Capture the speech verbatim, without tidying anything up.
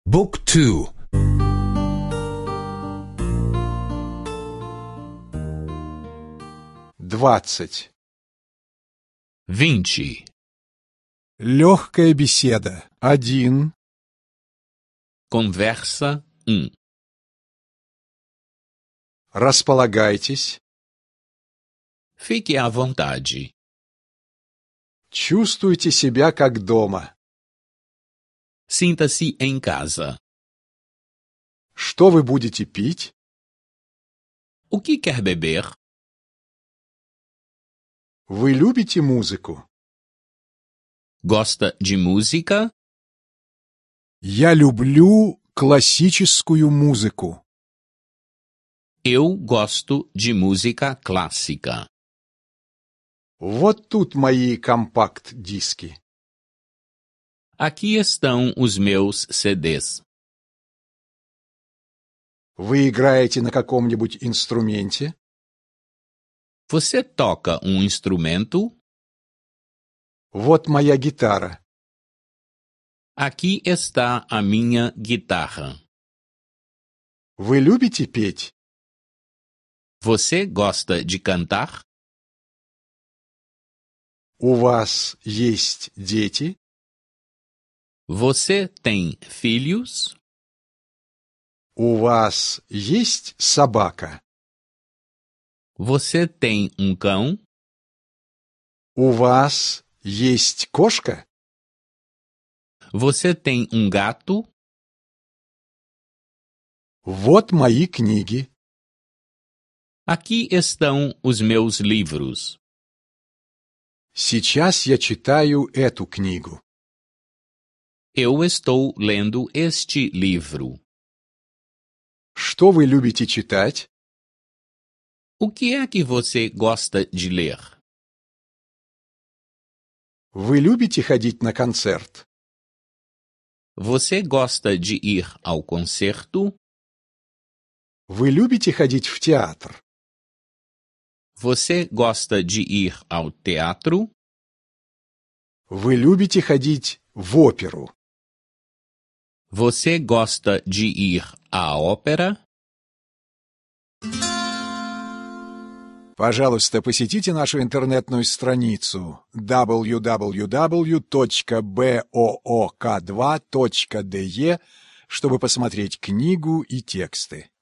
بوك تو двадцать. Vinte. Легкая беседа. Один. Conversa um. Располагайтесь. Fique à vontade. Чувствуйте себя как дома. Sinta-se em casa. Что вы будете пить? O que quer beber? Вы любите музыку? Gosta de música? Я люблю классическую музыку. Eu gosto de música clássica. Вот тут мои компакт-диски. Aqui estão os meus C Ds. Вы играете на каком-нибудь инструменте? Você toca um instrumento? Вот моя гитара. Aqui está a minha guitarra. Вы любите петь? Você gosta de cantar? У вас есть дети? Você tem filhos? У вас есть собака? Você tem um cão? У вас есть кошка? Você tem um gato? Вот мои книги. Aqui estão os meus livros. Сейчас я читаю эту книгу. Eu estou lendo este livro. Что вы любите читать? O que é que você gosta de ler? Вы любите ходить на концерт? Você gosta de ir ao concerto? Вы любите ходить в театр? Você gosta de ir ao teatro? Вы любите ходить в оперу? Você gosta de ir à ópera? Пожалуйста, посетите нашу интернетную страницу дабл ю дабл ю дабл ю точка боок два точка де, чтобы посмотреть книгу и тексты.